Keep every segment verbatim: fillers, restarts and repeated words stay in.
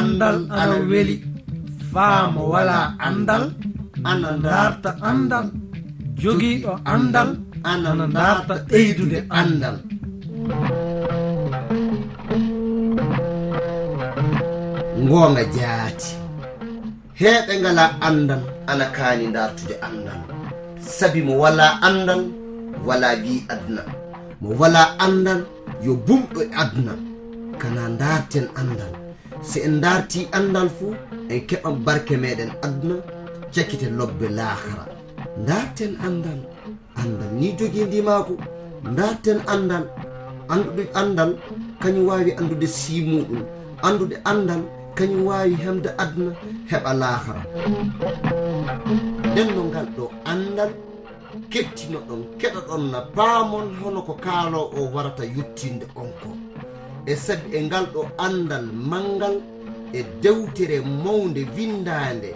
Anndal ana weli, faa mo walaa anndal ana ndaarta anndal, jogiiɗo anndal ana ndaarta ɓeydude anndal. Ngoonga jaati. Heeɓe ngalaa anndal ana kaani ndaartude anndal. Sabi mo walaa anndal, walaa wi aduna. Mo walaa anndal, yo bumɗo e aduna. Kana ndaarten anndal. Si en ndaartii anndal fu, en keɓan barke meɗen aduna, cakite lobbe laakara. Ndaarten anndal. Anndal ni jogii ndimaagu. Ndaarten anndal. Anndude anndal, kañum waawi anndude sii muuɗum. Anndude anndal, kañum waawi hemde aduna, heɓa laakara. Nden no ngal ɗo anndal, kettinoɗon, keɗoɗon na paamon hono ko kaaloo o warata yottinde on ko. E sabi e ngal ɗo anndal manngal e dewtere mawnde winndaande,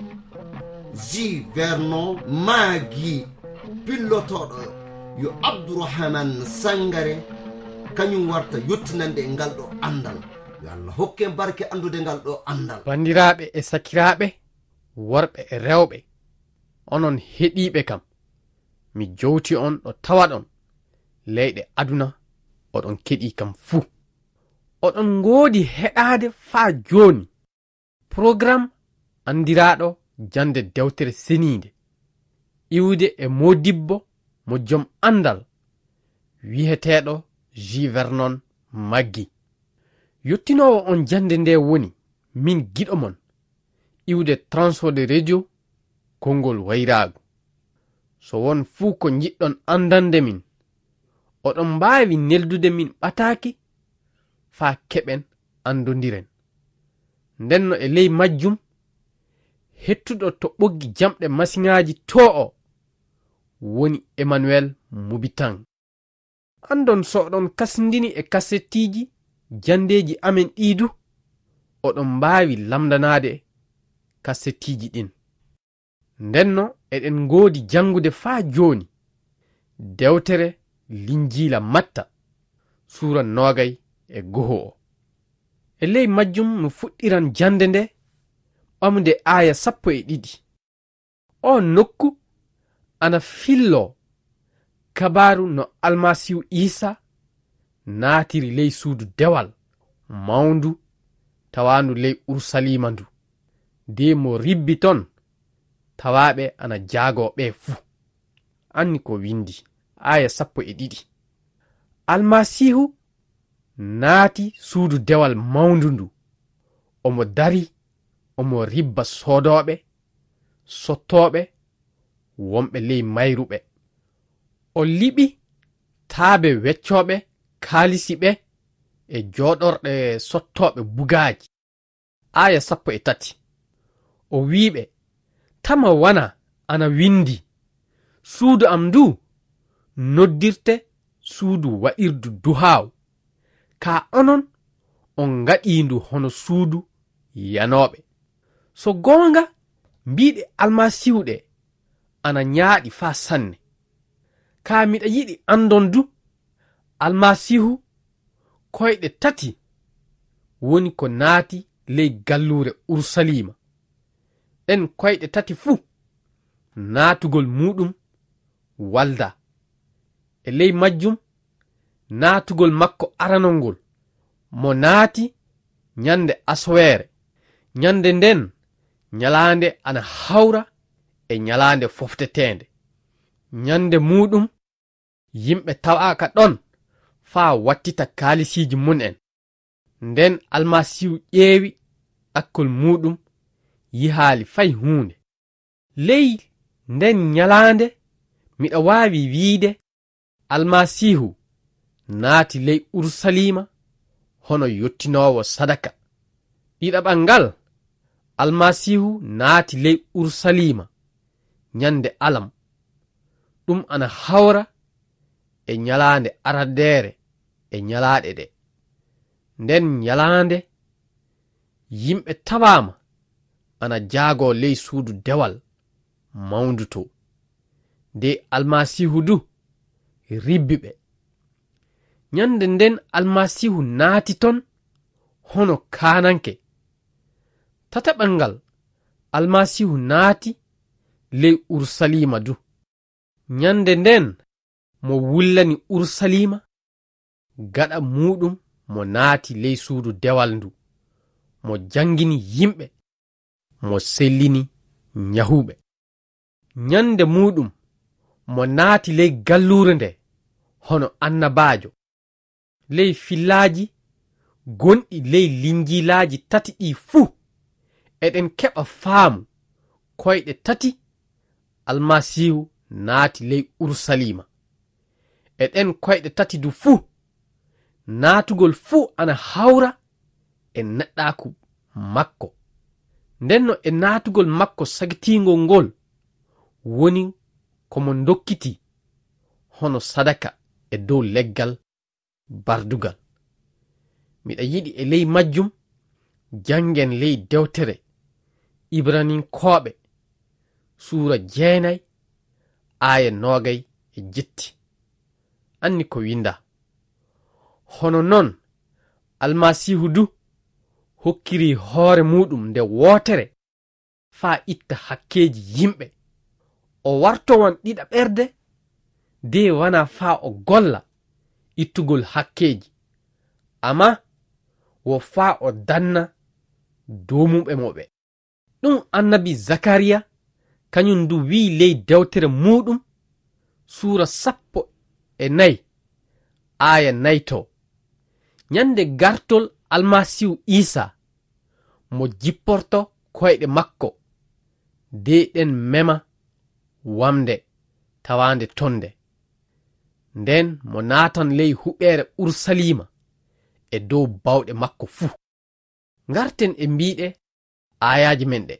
J. Vernon Maggi, pillotooɗo yo Abdourahmane Sangare, kañum warta yottinande e ngal ɗo anndal. Yo Allah hokke en barke anndude ngal ɗo anndal. Banndiraaɓe e sakiraaɓe, worɓe e rewɓe, onon heɗiiɓe kam, mi jowti on ɗo tawaɗon leyɗe aduna, oɗon keɗii kam fuu. Oɗon ngoodi heɗaade faa jooni. Porogaram anndiraaɗo jannde dewtere seniinde, iwde e moodibbo mo jom anndal, wiyeteeɗo J. Vernon Maggi. Yottinoowo on jannde nde woni min giɗo mon, iwde Transworld Radio, konngol wayraagu. So won fuu ko njiɗɗon anndande min, oɗon mbaawi neldude min ɓataaki faa keɓen anndondiren. Ndenno e ley majjum, hettuɗo to ɓoggi jamɗe masiŋaaji too o woni Emmanuel Mubitan. Anndon so oɗon kasindini e kasettiiji janndeeji amen ɗii du, oɗon mbaawi lamndanaade kasettiiji ɗin. Ndenno eɗen ngoodi janngude faa jooni dewtere Linjiila Matta, suura noogay e goho o. E ley majjum no fuɗɗiran jannde nde, ɓamude aaya sappo e ɗiɗi. Oo nokku ana filloo kabaaru no Almasiihu Iisaa naatiri ley suudu dewal mawndu tawaandu ley Urusaliima ndu, de mo ribbi ton tawaaɓe ana jaagoo ɓe fuu. Anni ko winndi, aaya sappo e ɗiɗi. Almasiihu naati suudu dewal mawndu ndu, omo dari, omo ribba soodooɓe, sottooɓe, wonɓe ley mayruɓe. O liɓi taabe weccooɓe kaalisi ɓe e jooɗorɗe sottooɓe bugaaji. Aaya sappo e tati. O wi'i ɓe, "Tama wana ana winndi, 'Suudu am ndu noddirte suudu waɗirdu duhaaw,' kaa onon on ngaɗii ndu hono suudu yanooɓe." So goonga, mbiiɗe Almasiihu ɗe ana ñaaɗi faa sanne. Kaa miɗa yiɗi anndon du, Almasiihu koyɗe tati woni ko naati ley galluure Urusaliima. Ɗen koyɗe tati fuu, naatugol muuɗum waldaa. E ley majjum, naatugol makko aranol ngol, mo naati ñande asoweere. Ñande nden, ñalaande ana hawra e ñalaande fofteteende. Ñande muuɗum, yimɓe tawaaka ɗon faa wattita kaalisiiji mum en. Nden Almasiihu ƴeewi ɗakkol muuɗum, yihaali fay huunde. Ley nden ñalaande, miɗa waawi wiide, Almasiihu naati ley Urusaliima hono yottinoowo sadaka. Ɗiɗaɓal ngal, Almasiihu naati ley Urusaliima ñande alam. Ɗum ana hawra e ñalaande arandeere e ñalaaɗe ɗe. Nden ñalaande, yimɓe tawaama ana jaagoo ley suudu dewal mawndu to. De Almasiihu du ribbi ɓe. Ñande nden Almasiihu naati ton hono kaananke. Tataɓal ngal, Almasiihu naati ley Urusaliima du. Nyannde ndeen mo wullani Urusaliima, gaɗa muuɗum mo naati ley suudu dewal ndu, mo janngini yimɓe, mo sellini nyahuɓe. Nyannde muuɗum mo naati ley galluure nde hono annabaajo. Ley fillaaji gonɗi ley linjiilaaji tati ɗii fuu, eɗen keɓa faamu koyɗe tati Almasiihu naati ley Urusaliima. E ɗeen koyɗe tati du fuu, naatugol fuu ana hawra e neɗɗaaku makko. Ndenno e naatugol makko sagitiingol ngol woni ko mo ndokkitii hono sadaka e dow leggal bardugal. Miɗa yiɗi e ley majjum janngen ley dewtere Ibraninkooɓe, suura jeenay, aaya noogay e jetti. Anni ko winndaa. Hono noon, Almasiihu du hokkiri hoore muuɗum nde wootere faa itta hakkeeji yimɓe. O wartowan ɗiɗaɓerde, de wanaa faa o golla ittugol hakkeeji, amma wo faa o danna doomuɓe mo ɓe. Ɗum annabi Zakariya, kañum du wi'i ley dewtere muuɗum, suura sappo e nayi, aaya nayi to, nyannde gartol Almasiihu Iisaa, mo jipporto koyɗe makko, de ɗen mema wamnde tawaande toon nde. Nden mo naatan ley huɓeere Urusaliima e dow bawɗe makko fuu. Ngarten e mbiiɗe aayaaje men ɗe.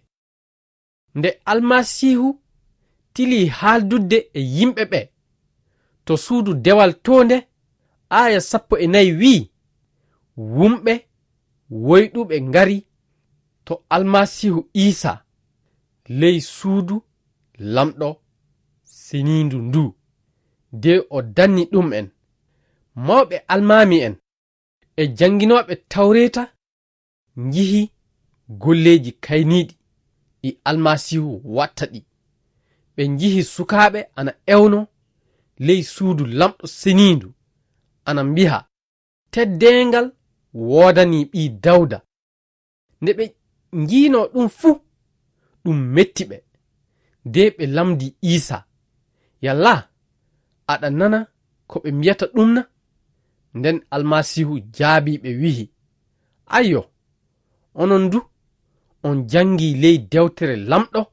Nde Almasiihu tilii haaldudde e yimɓe ɓe to suudu dewal to nde, aaya sappo e nayi wi'i, wumɓe woyɗuɓe ngari to Almasiihu Iisaa ley suudu Laamɗo seniindu ndu, de o danni ɗum'en. Mawɓe almaami'en e jannginooɓe Tawreeta njihi golleeji kayniiɗi ɗi Almasiihu watta ɗi. Ɓe njihi sukaaɓe ana ewno ley suudu Laamɗo seniindu, ana mbiha, "Teddeengal woodanii ɓii Dawda." Nde ɓe njiinoo ɗum fuu, ɗum metti ɓe. De ɓe lamndii Iisaa, "Yalla aɗa nana ko ɓe mbiyata ɗum na?" Nden Almasiihu jaabii ɓe wi'i, "Ayyo, onon du on janngii ley dewtere Laamɗo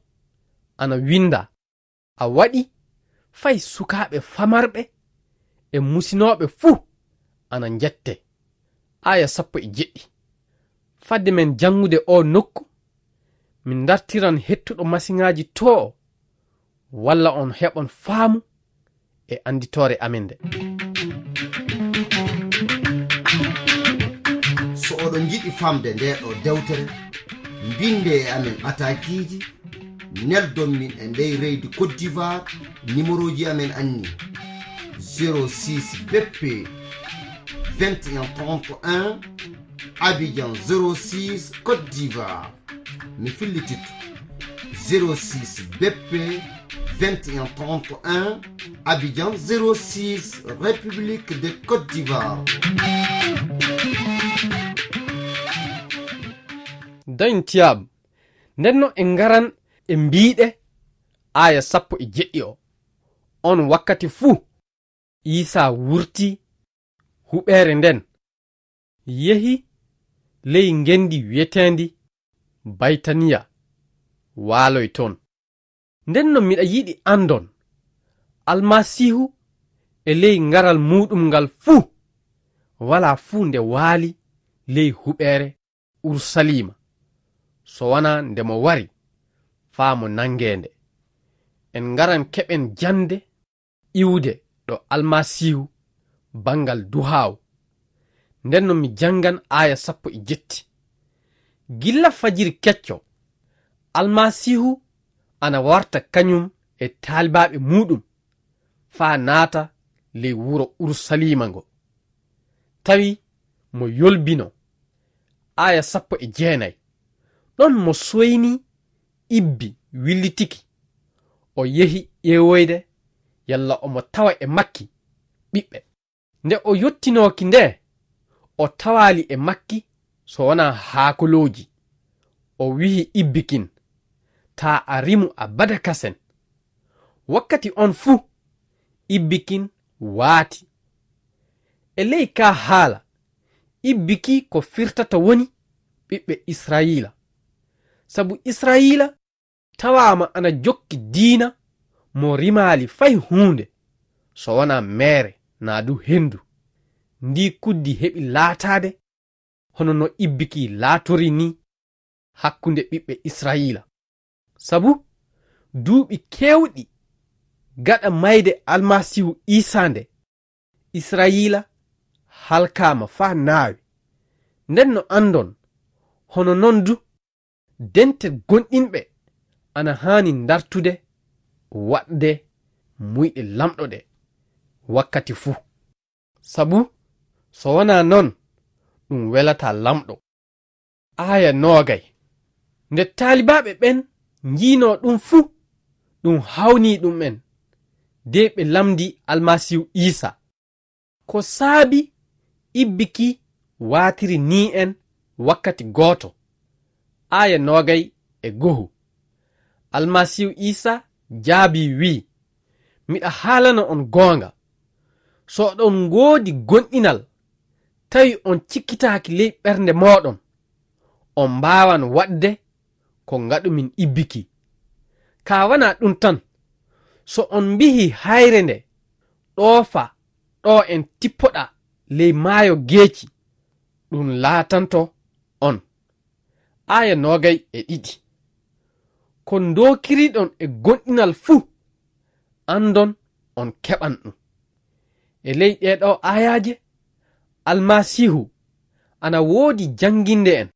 ana winndaa, 'A waɗi fay sukaaɓe famarɓe e musinooɓe fuu ana njette.'" Aaya sappo e jeɗɗi. Fadde men janngude oo nokku, min ndartiran hettuɗo masiŋaaji too, walla on heɓon faamu e annditoore amen nde. So oɗon njiɗi famde ndee ɗoo dewtere, mbinde e amen ataakiiji, neldon min e ndey reydi Côte d'Ivoire, nimerooji amen anni: zéro six B P vingt et un trente et un, Abidjan zéro six, Côte d'Ivoire. Mi fillititto: zéro six B P vingt et un trente et un, Abidjan zéro six, République de Côte d'Ivoire. Dañ tiyaab. Ndenno en ngaran e mbiiɗe aaya sappo e jeɗɗi o. On wakkati fuu, Iisaa wurtii huɓeere nden, yehi ley ngenndi wi'eteendi Baytaniya, waaloy toon. Ndenno miɗa yiɗi anndon, Almasiihu e ley ngaral muuɗum ngal fuu, walaa fuu nde waali ley huɓeere Urusaliima, so wanaa nde mo wari faa mo nanngee nde. En ngaran keɓen jannde iwde ɗo Almasiihu banngal duhaaw. Ndenno mi janngan aaya sappo e jetti. Gilla fajiri kecco, Almasiihu ana warta kañum e taalibaaɓe muuɗum faa naata ley wuro Urusaliima ngo. Tawi mo yolbino, aaya sappo e jeenay. Ɗon mo soyni ibbi willitiki, o yehi ƴeewoyde yalla omo tawa e makki ɓiɓɓe. Nde o yottinooki nde, o tawaali e makki so wonaa haakolooji. O wi'i ibbi kin, "Taa a rimu abada kasen." Wakkati on fuu, ibbi kin waati. E ley kaa haala, ibbi ki ko firtata woni ɓiɓɓe Israa'iila. Sabu Israa'iila tawaama ana jokki diina mo rimaali fay huunde, so wonaa meere naa du henndu. Ndii kuddi heɓi laataade hono no ibbi ki laatori nii hakkunde ɓiɓɓe Israa'iila. Sabu duuɓi keewɗi gaɗa mayde Almasiihu Iisaa nde, Israa'iila halkaama faa naawi. Nden no anndon, hono non du, dente gonɗinɓe ana haani ndartude waɗde muyɗe Lamɗo ɗe wakkati fuu. Sabu so wonaa non, ɗum welataa Lamɗo. Aaya noogay. Nde taalibaaɓe ɓen njiinoo ɗum fuu, ɗum hawnii ɗum'en, de ɓe lamndii Almasiihu Iisaa. Ko saabi ibbi ki waatiri nii en wakkati gooto? Aaya noogay e go'o. Almasiihu Iisaa jaabii wi'i, "Miɗa haalana on goonga. So oɗon ngoodi gonɗinal, tawi on cikkitaaki ley ɓernde mooɗon, on mbaawan waɗde ko ngaɗumin ibbi ki. Kaa wanaa ɗum tan, so on mbihi hayre nde, 'Ɗoofa ɗo en tippoɗaa ley maayo geeci,' ɗum laatanto on." Aaya noogay e ɗiɗi. Ko ndookiriɗon e gonɗinal fuu, anndon on keɓan ɗum. E ley ɗee ɗoo aayaaje, Almasiihu ana woodi jannginde en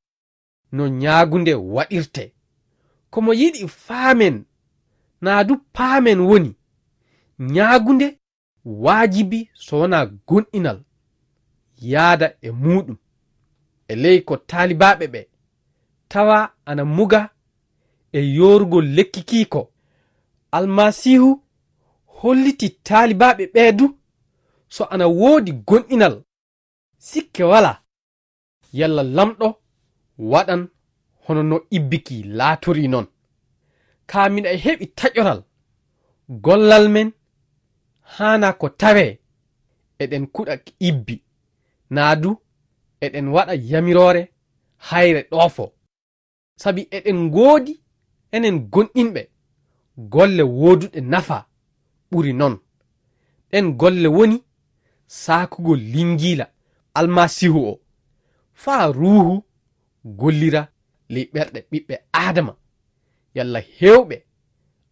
no ñaagunde waɗirtee. Ko mo yiɗi faamen, naa du paamen woni, ñaagunde waajibi so wonaa gonɗinal yaada e muuɗum. E ley ko taalibaaɓe ɓe tawa ana muga e yoorugol lekki kii ko, Almasiihu holliti taalibaaɓe ɓee du so ana woodi gonɗinal, sikke walaa, yalla Lamɗo waɗan hono no ibbi ki laatorii non. Kaa miɗa heɓi taƴoral, gollal men haanaa ko tawee eɗen kuɗa ibbi, naa du eɗen waɗa yamiroore hayre ɗoofo. Sabi eɗen ngoodi enen gonɗinɓe golle wooduɗe nafa ɓuri non. Ɗen golle woni saakugol Linjiila Almasiihu o, faa Ruuhu gollira ley ɓerɗe ɓiɓɓe Aadama, yalla heewɓe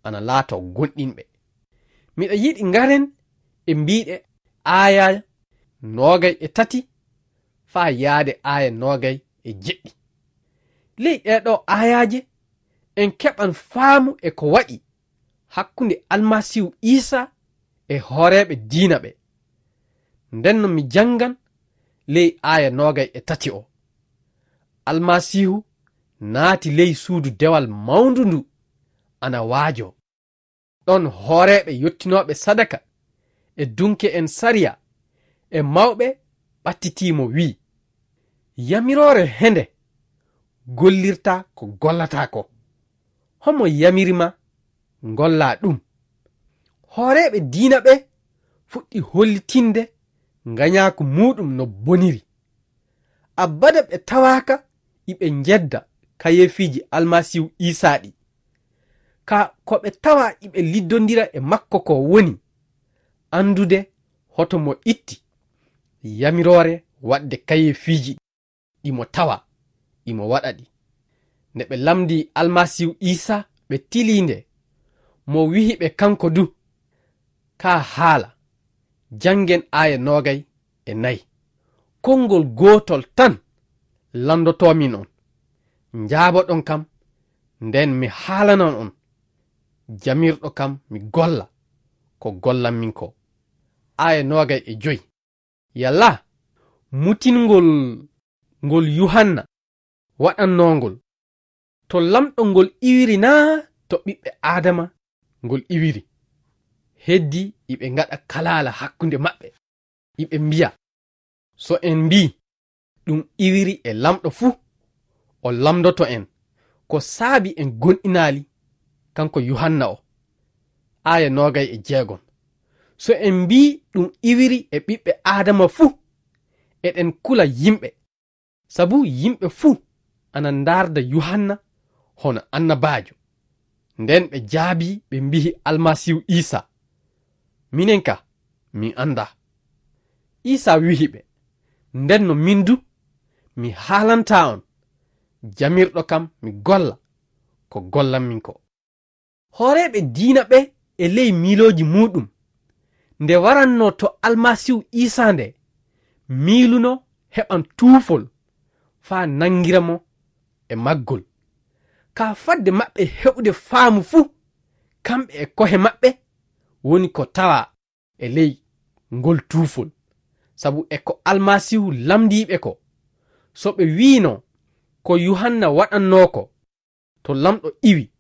ana laatoo gonɗinɓe. Miɗa yiɗi ngaren e mbiiɗe aaya noogay e tati faa yaade aaya noogay e jeɗɗi. Ley ɗee ɗoo aayaaje, en keɓan faamu e ko waɗi hakkunde Almasiihu Iisaa e hooreeɓe diina ɓe. Nden no mi janngan ley aaya noogay e tati o. Almasiihu naati ley suudu dewal mawndu ndu ana waajoo. Ɗon hooreeɓe yottinooɓe sadaka e dunke'en sariya e mawɓe ɓattitii mo, wi'i, "Yamiroore hende gollirta ko gollataa ko. Homo yamiri ma ngollaa ɗum?" Hooreeɓe diina ɓe fuɗɗi hollitinde nganyaaku muuɗum no boniri. Abada ɓe tawaaka iɓe njedda kayeefiiji Almasiihu Iisaa ɗi. Ka ko ɓe tawa iɓe liddondira e makko ko woni anndude hoto mo itti yamiroore waɗde kayeefiiji ɗi mo tawa, ɗi mo waɗa ɗi. Nde ɓe lamndii Almasiihu Iisaa, ɓe tilii nde, mo wi'i ɓe kanko du, "Kaa haala, janngen aaya noogay e nay. Konngol gootol tan lanndotoomin on. Njaaboɗon kam, nden mi haalanan on. Jamirɗo kam mi golla ko gollanmin ko." Aaya noogay e joy. Yalla mutingol ngol Yuhanna waɗannoongol, To Lamɗo ngol iwiri naa to ɓiɓɓe Aadama ngol iwiri? Heddi iɓe ngaɗa kalaala hakkunde maɓɓe, iɓe mbiya, "So en mbii ɗum iwiri e Lamɗo fuu, o lamndoto en ko saabi en gonɗinaali kanko Yuhanna o." Aaya noogay e jeegom. So en mbii ɗum iwiri e ɓiɓɓe Aadama fuu, eɗen kula yimɓe, sabu yimɓe fuu ana ndaarda Yuhanna hono annabaajo. Nden ɓe jaabii, ɓe mbi'i Almasiihu Iisaa, "Minen ka, min anndaa." Iisaa wi'i ɓe, "Nden no min du, mi haalantaa on jamirɗo kam mi golla ko gollanmin ko." Hooreeɓe diina ɓe e ley miilooji muuɗum, nde warannoo to Almasiihu Iisaa nde, miiluno heɓan tuufol faa nanngira mo e maggol. Kaa fadde maɓɓe heɓude faamu fuu, kamɓe e kohe maɓɓe woni ko tawaa e ley ngol tuufol, sabu e ko Almasiihu lamndii ɓe ko, so ɓe wi'ino ko Yuhanna waɗannoo ko, to Lamɗo iwi,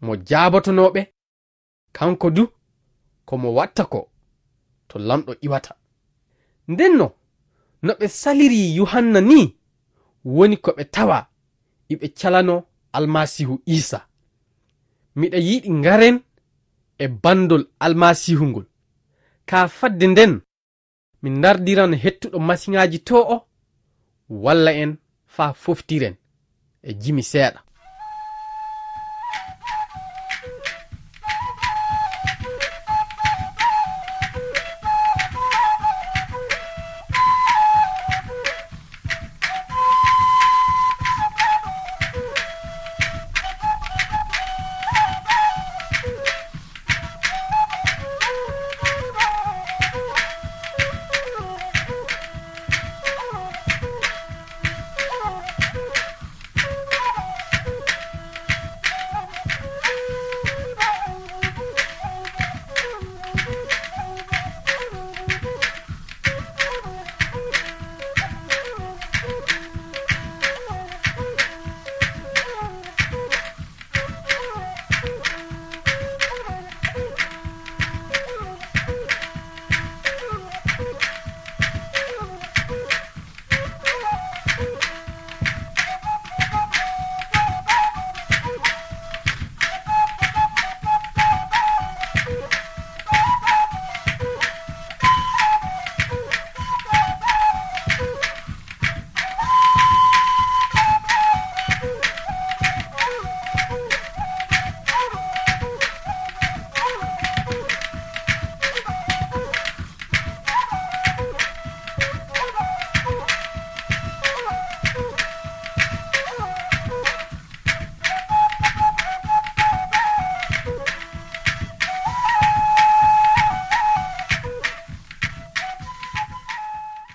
mo jaabotonoo ɓe, kanko du, ko mo watta ko, to Lamɗo iwata. Ndenno, no ɓe saliri Yuhanna nii, woni ko ɓe tawa iɓe calanoo Almasiihu Iisaa. Miɗa yiɗi ngaren e banndol Almasiihu ngol. Kaa fadde nden, mi ndardiran hettuɗo masiŋaaji too o, walla en faa foftiren e jimi seeɗa.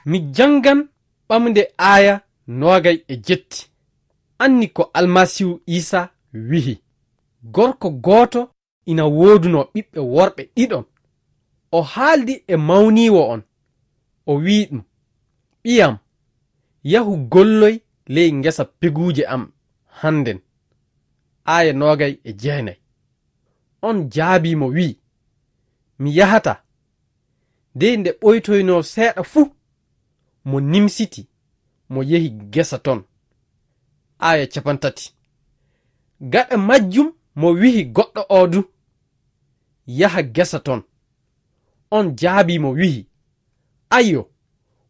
Mi janngan ɓamde aaya noogay e jetti. Anni ko Almasiihu Iisaa wi'i, "Gorko gooto ina woodunoo ɓiɓɓe worɓe ɗiɗon. O haaldi e mawniiwo on, o wi'i ɗum, 'Ɓiyam, yahu golloy ley ngesa peguuje am hannden.'" Aaya noogay e jeenay. On jaabii mo wi'i, "Mi yahataa." Dey nde ɓoytoynoo seeɗa fu, mo nimsiti, mo yehi gesa ton. Aaya capantati. Gaɗa majjum mo wi'i goɗɗo oo du, "Yaha gesa ton." On jaabii mo wi'i, "Ayyo,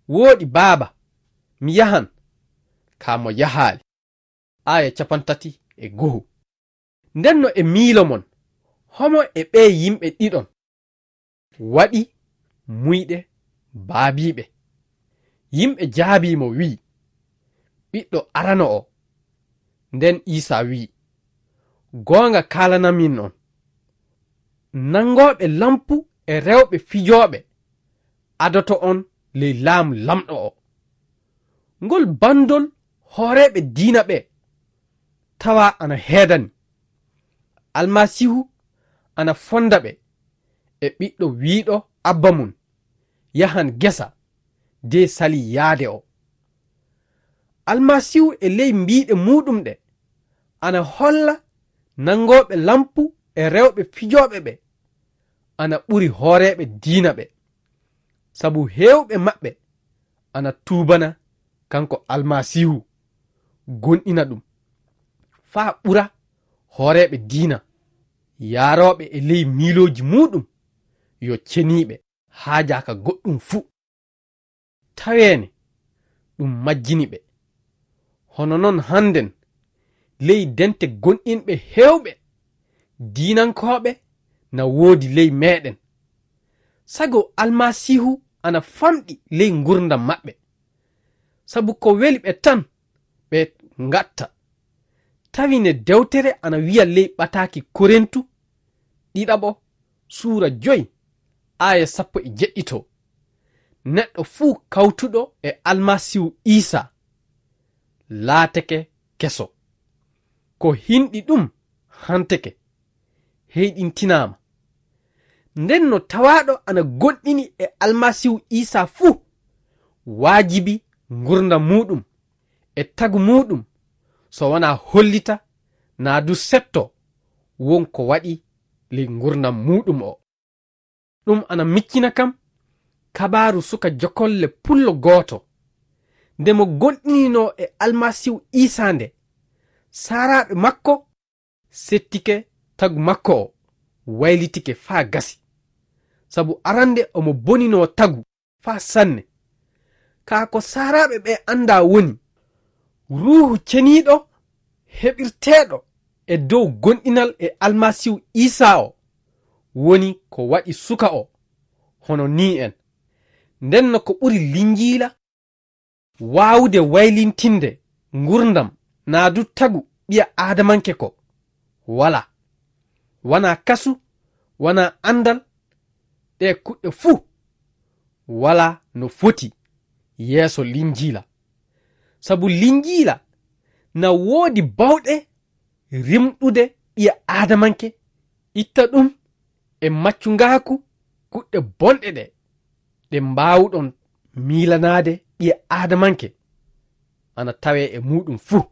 wooɗi baaba, mi yahan." Kaa mo yahaali. Aaya capantati e go'o. Ndenno e miilo mon, homo e ɓee yimɓe ɗiɗon waɗi muyɗe baabiiɓe? Yimɓe jaabii mo wi'i, "Ɓiɗɗo arano o." Nden Iisaa wi'i, "Goonga kaalanamin on, nanngooɓe lampu e rewɓe fijooɓe adoto on ley laamu Lamɗo o." Ngol banndol hooreeɓe diina ɓe tawa ana heedani. Almasiihu ana fonda ɓe e ɓiɗɗo wi'uɗo abba mun yahan gesa de sali yaade o. Almasiihu e ley mbiiɗe muuɗum ɗe Ana holla nanngooɓe lampu e rewɓe fijooɓe ɓe ana ɓuri hooreeɓe diina ɓe, sabu heewɓe maɓɓe ana tuubana kanko Almasiihu, gonɗina ɗum, faa ɓura hooreeɓe diina yaarooɓe e ley miilooji muuɗum yo ceniiɓe, haajaaka goɗɗum fuu. Taweene ɗum majjini ɓe. Hono noon hannden, ley dente gonɗinɓe heewɓe diinankooɓe na woodi ley meeɗen. Sago Almasiihu ana famɗi ley ngurdam maɓɓe. Sabu ko weli ɓe tan ɓe ngatta. Tawi ne dewtere ana wiya ley ɓataaki Korintu ɗiɗaɓo suura joy aaya sappo e jeɗɗito, neɗɗo fuu kawtuɗo e Almasiihu Iisaa laatake keso. Ko hinɗi ɗum hanteke, heyɗintinaama. Nden no tawaaɗo ana gonɗini e Almasiihu Iisaa fuu, waajibi ngurdam muuɗum e tagu muuɗum, so wanaa hollita naa du setto won ko waɗi ley ngurdam muuɗum o. Ɗum ana miccina kam kabaaru suka jokolle pullo gooto. Nde mo gonɗininoo e Almasiihu Iisaa nde, saaraaɓe makko settike tagu makko o, waylitike faa gasi. Sabu arande omo boninoo tagu faa sanne. Kaa ko saaraaɓe ɓe anndaa woni, Ruuhu Ceniiɗo heɓirteeɗo e dow gonɗinal e Almasiihu Iisaa o woni ko waɗi suka o hono nii en. Nden no ko ɓuri Linjiila waawude waylintinde ngurdam naa du tagu ɓiya aadamanke ko walaa. Wanaa kasu, wanaa anndal, ɗe kuɗɗe fuu walaa no foti yeeso Linjiila. Sabu Linjiila na woodi bawɗe rimɗude ɓiya aadamanke, itta ɗum e maccungaaku kuɗɗe bonɗe ɗe, ɗe mbaawuɗon miilanaade ɓiya aadamanke ana tawee e muuɗum fuu.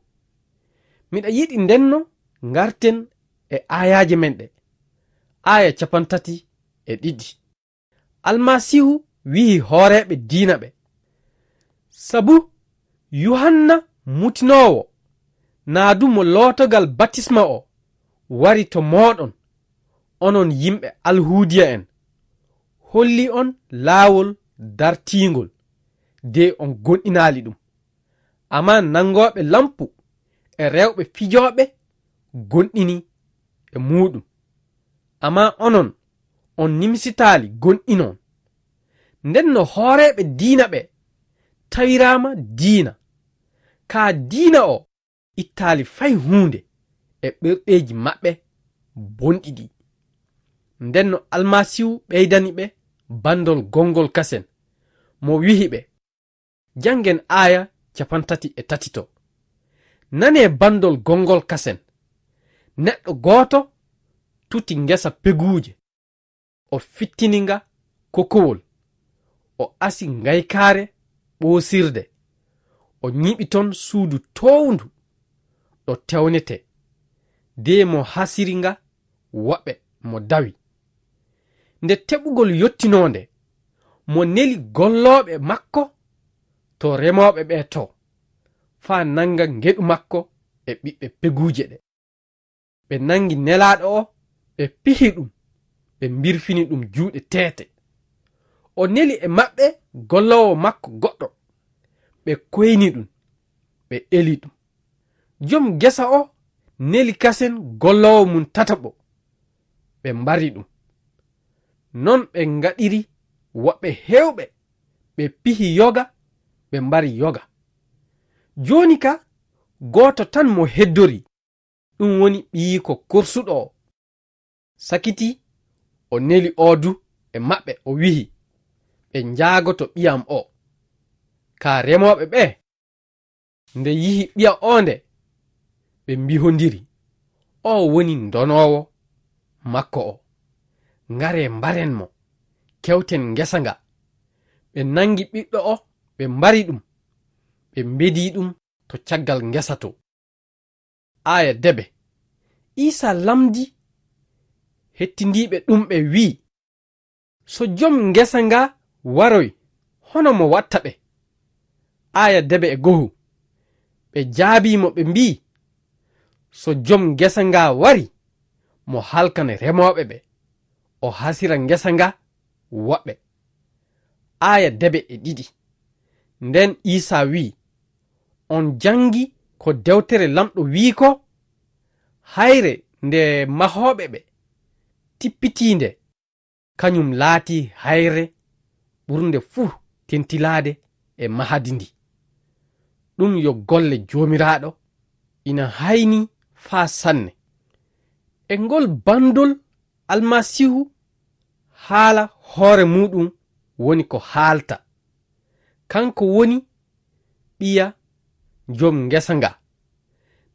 Miɗa yiɗi ndenno ngarten e aayaaje men ɗe. Aaya capantati e ɗiɗi. Almasiihu wi'i hooreeɓe diina ɓe, sabu Yuhanna mutinoowo naa du mo lootogal batisma o wari to mooɗon, onon yimɓe Alhuudiya'en, holli on laawol dartiingol, de on gonɗinaali ɗum. Ammaa nanngooɓe lampu e rewɓe fijooɓe gonɗini e muuɗum. Ammaa onon, on nimsitaali gonɗinon. Nden no hooreeɓe diina ɓe tawiraama diina, kaa diina o ittaali fay huunde e ɓerɗeeji maɓɓe bonɗi ɗi. Nden no Almasiihu ɓeydani ɓe banndol gonngol kasen, mo wi'i ɓe, janngen aaya capantati e tati to. Nanee banndol gonngol kasen. Neɗɗo gooto tuti ngesa peguuje. O fittini nga kokowol. O asi ngaykaare ɓoosirde. O nyiɓi ton suudu toowndu ɗo tewnetee. De mo hasiri nga woɓɓe mo dawi. Nde teɓugol yottinoo nde, mo neli gollooɓe makko to remooɓe ɓe to, faa nannga ngeɗu makko e ɓiɓɓe peguuje ɗe. Ɓe nanngi nelaaɗo o, ɓe pihi ɗum, ɓe mbirfini ɗum juuɗe teete. O neli e maɓɓe golloowo makko goɗɗo, ɓe koyni ɗum, ɓe eli ɗum. Jom gesa o neli kasen golloowo mum tataɓo, ɓe mbari ɗum. Non ɓe ngaɗiri woɓɓe heewɓe, ɓe pihi yoga, ɓe mbari yoga. Jooni ka, gooto tan mo heddorii, ɗum woni ɓiyiiko korsuɗo o. Sakiti o neli oo du e maɓɓe, o wi'i, ɓe njaagoto ɓiyam o. Kaa remooɓe ɓe, nde yi'i ɓiya o nde, ɓe mbihondiri, oo woni ndonoowo makko o. Ngaree mbaren mo, kewten ngesa nga. Ɓe nanngi ɓiɗɗo o, ɓe mbari ɗum, ɓe mbedii ɗum to caggal ngesa to. Aaya debe. Iisaa lamndii hettindiiɓe ɗum ɓee, wii, "So jom ngesa ngaa waroy, hono mo watta ɓe?" Aaya debe e gohu. Ɓe jaabii mo, ɓe mbii, "So jom ngesa ngaa wari, mo halkan remooɓe ɓe, o hasira ngesa ngaa woɓɓe." Aaya debe e ɗiɗi. Nden Iisaa wii, "On janngi ko dewtere Laamɗo wii ko? Hayre nde mahooɓe ɓe tippitiinde, kañum laatii hayre ɓurnde fuu tentilaade e mahadi ndi. Ɗum yo golle Joomiraaɗo, ina haynii faa sanne." E ngol banndol Almasiihu haala hoore muuɗum woni ko haalta. Kanko woni ɓiya jom ngesa nga.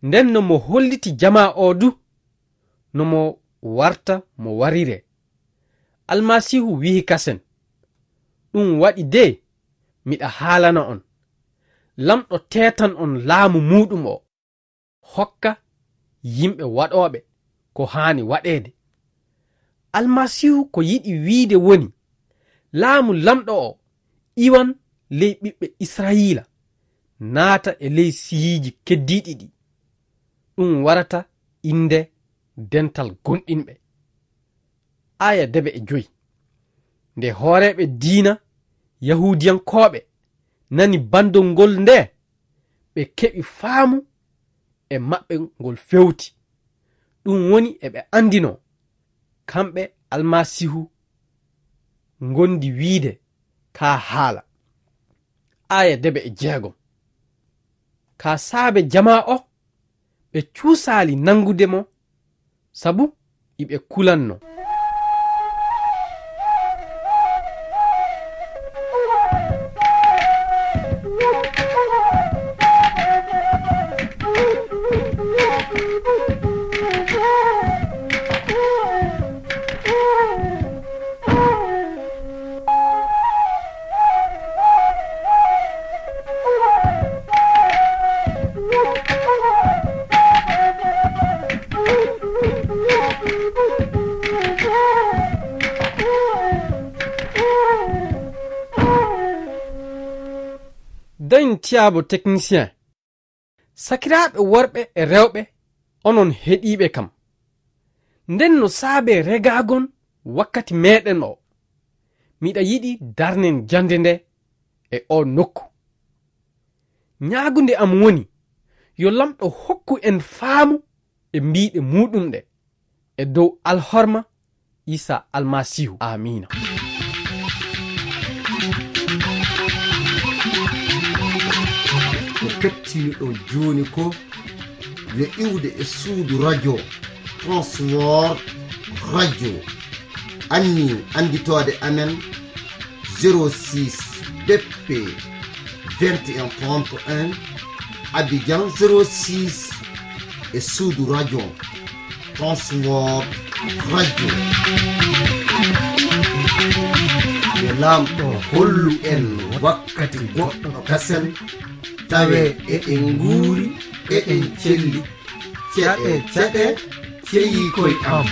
Nden no mo holliti jamaa o du, no mo warta mo warire. Almasiihu wi'i kasen, "Ɗum waɗi de, miɗa haalana on, Laamɗo teetan on laamu muuɗum o, hokka yimɓe waɗooɓe ko haani waɗeede." Almasiihu ko yiɗi wiide woni, laamu Laamɗo o iwan ley ɓiɓɓe Israa'iila, naata e ley siyiiji keddiiɗi ɗi. Ɗum warata innde dental gomɗinɓe. Aaya debe e joy. Nde hooreeɓe diina Yahuudiyankooɓe nani banndol ngol nde, ɓe keɓi faamu e maɓɓe ngol fewti. Ɗum woni eɓe anndinoo, kamɓe Almasiihu ngondi wiide kaa haala. Aaya debe e jeegom. Kaa saabe jamaa o, ɓe cuusaali nanngude mo, sabu iɓe kulanno. Dañ tiyaabo technicien. Sakiraaɓe worɓe e rewɓe, onon heɗiiɓe kam, nden no saabe regaagon wakkati meeɗen o, miɗa yiɗi darnen jannde nde e o nokku. Ñaagunde am woni, yo Laamɗo hokku en faamu e mbiiɗe muuɗum ɗe, e dow alhorma Iisaa Almasiihu. Aamiina. Ko kettiniɗon jooni ko yo iwde e suudu radio, Transworld Radio. Anni annditoode amen, zéro six B P vingt et un trente et un, Abidjan zéro six, e suudu radio, Transworld Radio. Yo Laamɗo hollu en wakkati goɗɗo kasen, tawe eɗen nguuri, eɗen celli. Ceɗe, ceɗe, ceyii koy am.